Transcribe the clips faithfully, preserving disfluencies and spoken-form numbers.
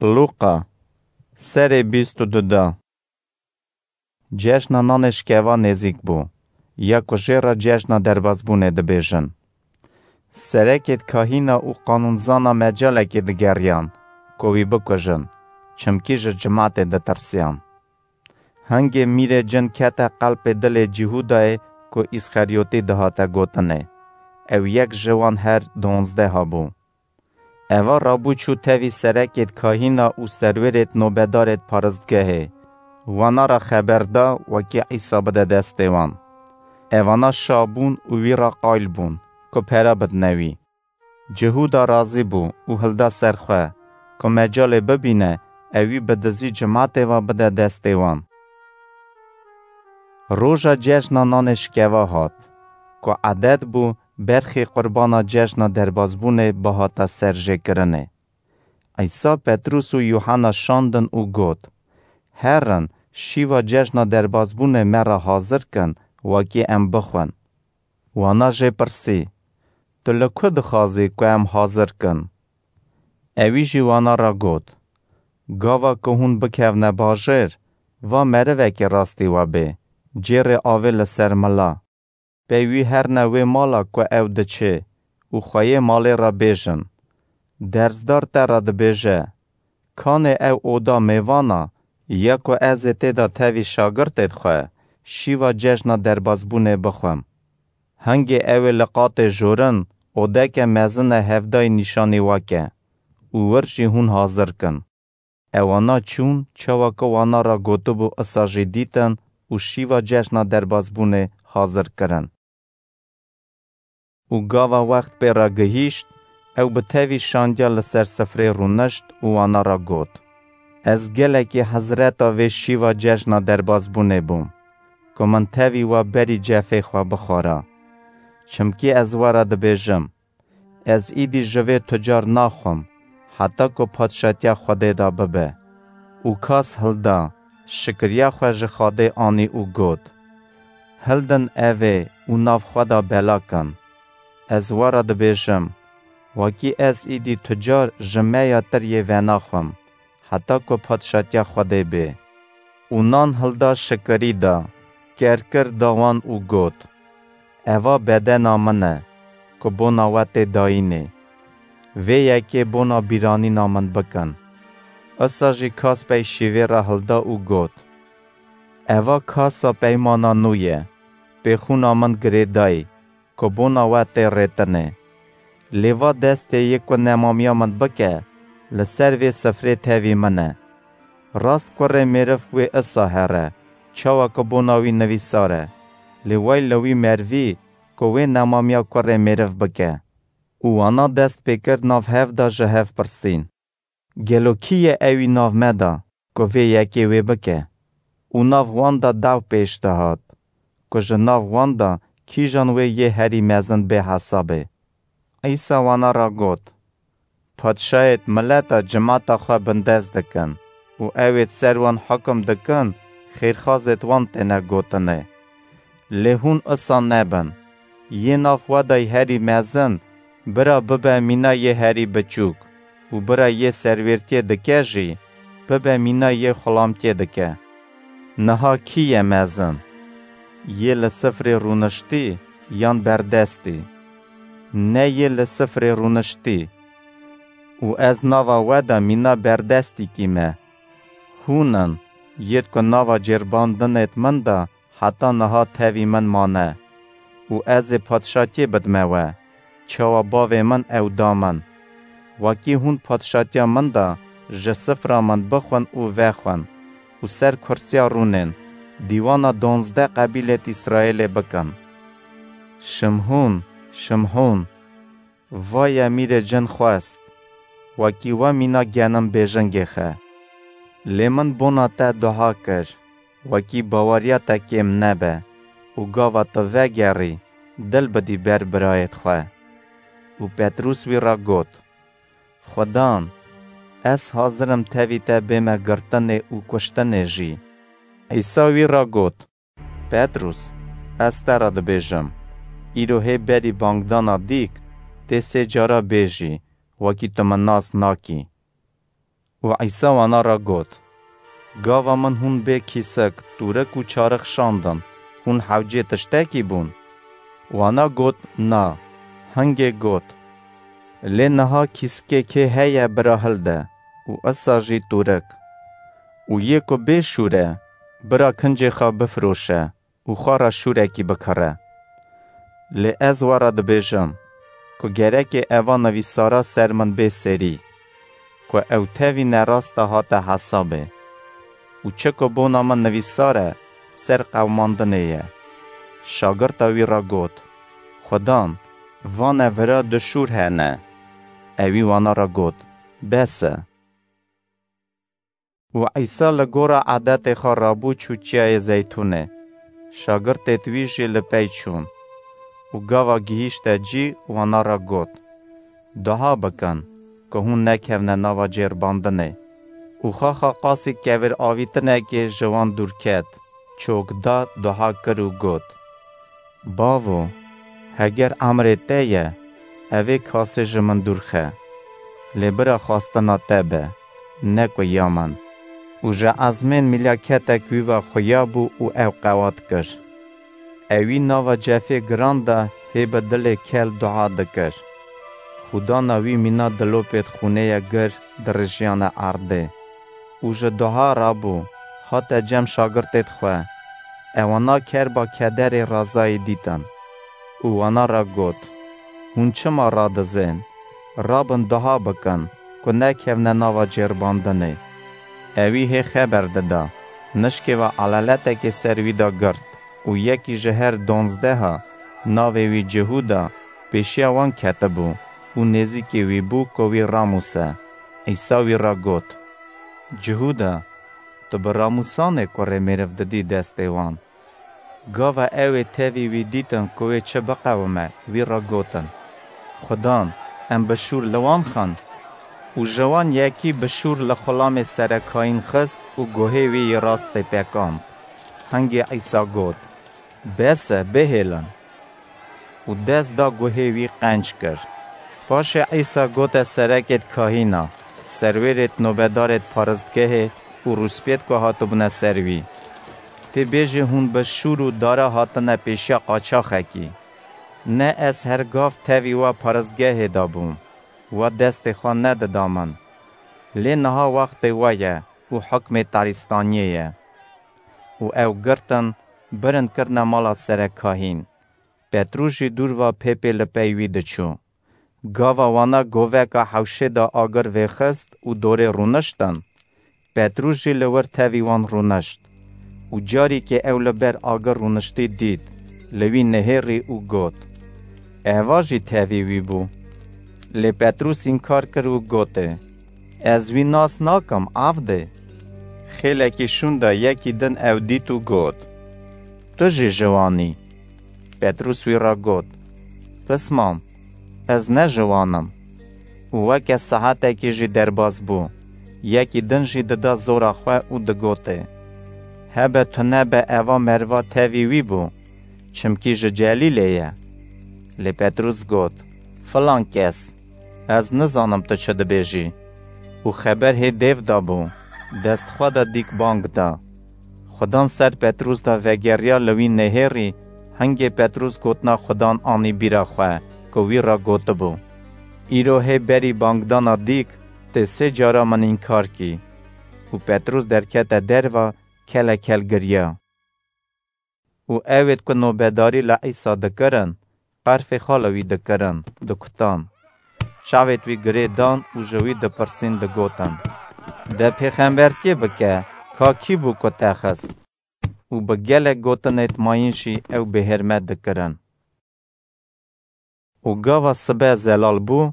Lûqa, serê bîst û du de. Cejna nanê şikeva nêzîk bû, ya ku jê re cejna derbazbûnê dibêjin. Serekêd kahîna û qanûnzana mecalekê digeriyan ku wî bikujin, çimkî ji cimatê ditirsiyan. Hingê mîrê cin kete qelpê dilê Cihûdayê ku Îsxeryotî dihate gotinê. Ew yek ji wan her donzdeha bû. Eva rabû çû tevî serekêd kahîna û serwêrêd nobedarêd paristgehê. Wana re xeber da wekî Îsa bide destê wan. Evana şa bûn û wî re qayl bûn ku pere bidine wî. Cihûda razî bû û hilda ser xwe, ku mecalê bibîne, ew wî bi dizî cimatê ve bide destê wan. Roja cejna nanê şikeva hat, ku edet bû berxê qurbana cejna derbazbûnê bihata serjêkirinê. Îsa Petrûs û Yûhena şandin û got, Herin, şîva cejna derbazbûnê me re hazir kin, wekî em bixwin. Wana jê pirsî, Tu li ku dixwazî ku em hazir kin? Ewî jî wana re got, Gava ku hûn bikevne bajêr, va merivekî rastî we bê, cêrê avê li ser mila. Pey wî herne wê mala ku ew diçê û xweyê malê re bêjin, Derzdar te re dibêje, Kanê ew oda mêvan a, ya ku ez ê tê de tevî şagirtêd xwe şîva cejna derbazbûnê bixwim. Hingê ew ê li qatê jorin odeke mezin e hevdayî nîşanî we ke û wir jî hûn hazir kin. Ewana çûn, çawa ku wana re gotibû, isa jî dîtin û şîva cejna derbazbûnê hazir kirin. Û gava wext pê re gihîşt, ew bi tevî şandiya li ser sifrê rûnişt û wana re got, Ez gelekî hezreta vê şîva cejna derbazbûnê bûm, ku min tevî we berî cefê xwe bixwara. Çimkî ez we re dibêjim, Ez îdî ji vê tucar naxwim, heta ku padşatiya Xwedê de bibe. Û kas hilda, şikiriya xwe ji Xwedê anî û got, Hildin ev ê û nav xwe de bela kin. Ez we re dibêjim, wekî ez îdî tucar ji me ya tir yê venaxwim, heta ku padşatiya Xwedê bê. Û nan hilda, şikirî da, ker kir, da wan û got, Eva bedena min e, ku bona we tê dayînê. Vê yekê bona bîranîna min bikin. Isa jî kas pey şîvê re hilda û got, Eva kasa peymana nû ye, pê xûna min girêdayî, ku bona we tê rêtinê. Lê va destê yê ku nemamiya min bike, li ser vê sifrê tevî min e. Rast kurê mêriv wê isa here, çawa ku bona wî nivîsar e. Lê wey li wî merivî ku wê nemamiya kurê mêriv bike. Û wana dest pê kir nav hev de ji hev pirsîn, Gelo kî ye ewî nav me de, ku vê yekê wê bike? Û nav wan de daw pêş dihat, ku ji nav wan de kîjan wê yê herî mezin bê hesabê. Îsa wana re got, Padşayêd mileta cimata xwe bindest dikin û ewêd ser wan hukum dikin, xêrxazêd wan têne gotinê. Lê hûn isa nebin. Yê nav we de herî mezin, bira bibe mîna yê herî biçûk û bira yê serwêrtiyê dike jî, bibe mîna yê xulamtiyê dike. Niha kî ye mezin? Yê li sifrê rûniştî yan berdestî? Ne yê li sifrê rûniştî. Û ez nava we de mîna berdestîkî me. Hûn in, yêd ku nava cêrbandinêd min de heta niha tevî min mane. Û ez ê padşatiyê bidme we, çawa bavê min ew da min. Wekî hûn padşatiya min de ji sifra min bixwin û vexwin û ser kursiya rûnên dîwana donzdeh qebîlêd Îsraêlê bikin. Şimhûn, Şimhûn, Vaye mîrê cin xwest, wekî we mîna genim bêjingê xe. Lê min bona te dua kir, wekî baweriya te kêm nebe û gava tu vegerî, dil bidî ber birayêd xwe. Û Petrûs wî re got, Xudan, ez hazir im tevî te bême girtinê û kuştinê jî. Îsa wî re got, Petrûs, ez te re dibêjim, îro hê berî bangdana dîk tê sê cara bêjî, wekî tu min nas nakî. Û Û Îsa wana re got, Gava min hûn bê kîsik, tûrik û çarix şandin, hûn hewcê tiştekî bûn? Wana got, Na. Hingê got, Lê niha kîsikê kê heye bira hilde û isa jî tûrik. Û yê ku bê şûr e, bira kincê xwe bifiroşe û xwe re şûrekî bikire. Lê ez we re dibêjim ku gerekê eva nivîsara ser min bê serî, ku ew tevî nerasta hate hesabê. Û çi ku bona min nivîsar e, ser qewimandinê ye. Şagirta wî re got, Xudan, vane vira du şûr hene. Ewî wana re got, Bes e. Û Îsa li gora edetê xwe rabû çû Çiyayê Zeytûnê. Şagirtêd wî jî li pey çûn. Û gava gihîşte cî, wana re got, Duha bikin, ku hûn nekevne nava cêrbandinê. Û xaxa qasî kevir avîtinekê ji wan dûr ket, çok da, duha kir û got, Bavo, heger emrê te ye, evê kasê ji min dûr xe. Lê bira xwestina te be, ne ku ya min. Û ji ezmên mîlaketek wî ve xuya bû û ew qewat kir. Ewî nava cefê giran de hê bi dilê kel dua dikir. Xwedana wî mîna dilopêd xûnê ye gir dirijiyane erdê. Û ji dua rabû, hate cem şagirtêd xwe. Ewana kerba kederê razayî dîtin. Û wana re got, Hûn çima radizên? Rabin dua bikin, ku nekevne nava cêrbandinê. Ewî hê xeber dida, nişkê ve eleletekê ser wî de girt û yekî ji her donzdeha, navê wî Cihûda, pêşiya wan ketibû û nêzîkî wî bû ku wî ramûse. Îsa wî re got, Cihûda, tu bi ramûsanê kurê mêriv didî destê wan? Gava ew ê tevî wî dîtin ku wê çi biqewime, wî re gotin, Xudan, em bi şûr li wan xin? Û ji wan yekî bi şûr li xulamê serekayîn xist û guhê wî yê rastê pekand. Hingê Îsa got, Bes e, bihêlin. Û dest da guhê wî qenc kir. Paşê Îsa gote serekêd kahîna, serwêrêd nobedarêd paristgehê û rûspêd ku hatibûne ser wî, Tê bêjê hûn bi şûr û dara hatine pêşiya qaçaxekî. Ne ez her gav tevî we paristgehê de bûm, we destê xwe nedida min. Lê niha wextê we ye û hukmê tarîstaniyê ye. Û ew girtin, birin kirine mala serekahîn. Petrûs jî dûr va pê pê li pey wî diçû. Gava wana goveka hewşê de agir vêxist û dorê rûniştin, Petrûs jî li wir tevî wan rûnişt. Û carîkê ew li ber agir rûniştî dît, li wî nihêrî û got, Eva jî tevî wî bû. Lê Petrûs înkar kir û gotê, Ez wî nas nakim, avdê. Xêlekî şûnda yekî din ew dît û got, Tu jî ji wan î. Petrûs wî re got, Pismam, ez ne ji wan im. Û weke saetekî jî derbas bû, yekî din jî dida zora xwe û digotê, Hebe tu nebe eva meriva tevî wî bû, çimkî ji Celîlê ye. Lê Petrûs got, Filan kes, ez nizanim tu çi dibêjî. Û xeber hê dêv de bû, dest xwe de dîk bang da. Xudan ser Petrûs de vegeriya li wî nihêrî, hingê Petrûs gotina Xudan anî bîra xwe, ku wî re gotibû, Îro hê berî bangdana dîk, tê sê cara min înkar kî. Û Petrûs derkete derva, kele kel giriya. Û ewêd ku nobedarî li Îsa dikirin, qerfê xwe li wî dikirin, dikutan. Çavêd wî girê dan û ji wî dipirsîn digotin, De pêxembertiyê bike, ka kî bû ku te xist? Û bi gelek gotinêd mayîn jî ew bêhêrmet dikirin. Û gava sibe zelal bû,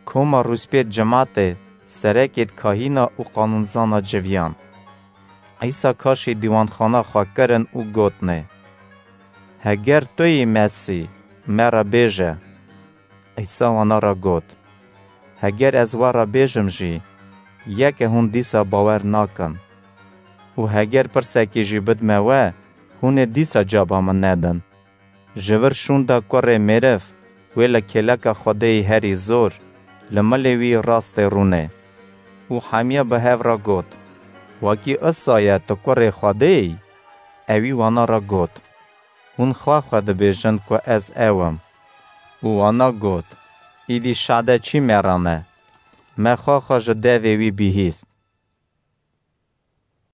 koma rûspêd cimatê, serekêd kahîna û qanûnzana civiyan. Îsa kaşî dîwanxana xwe kirin û gotnê, Heger tu yî Mesî, me re bêje. Îsa wana re got, Heger ez we re bêjim jî, yeke hûn dîsa bawer nakin. Û heger pirsekî jî bidme we, hûn ê dîsa caba min nedin. Ji vir şûnda Kurê Mêriv, wê li kêleka Xwedêyî herî zor, li milê wî rastê rûnê. Û hemiya bi hev re got, Wekî isa ye tu kurê Xwedê yî? Ewî wana re got, Hûn xwe xwe dibêjin ku ez ew im. Û wana got, Îdî şade çî me re ne? Me xwe xwe ji devê wî bihîst.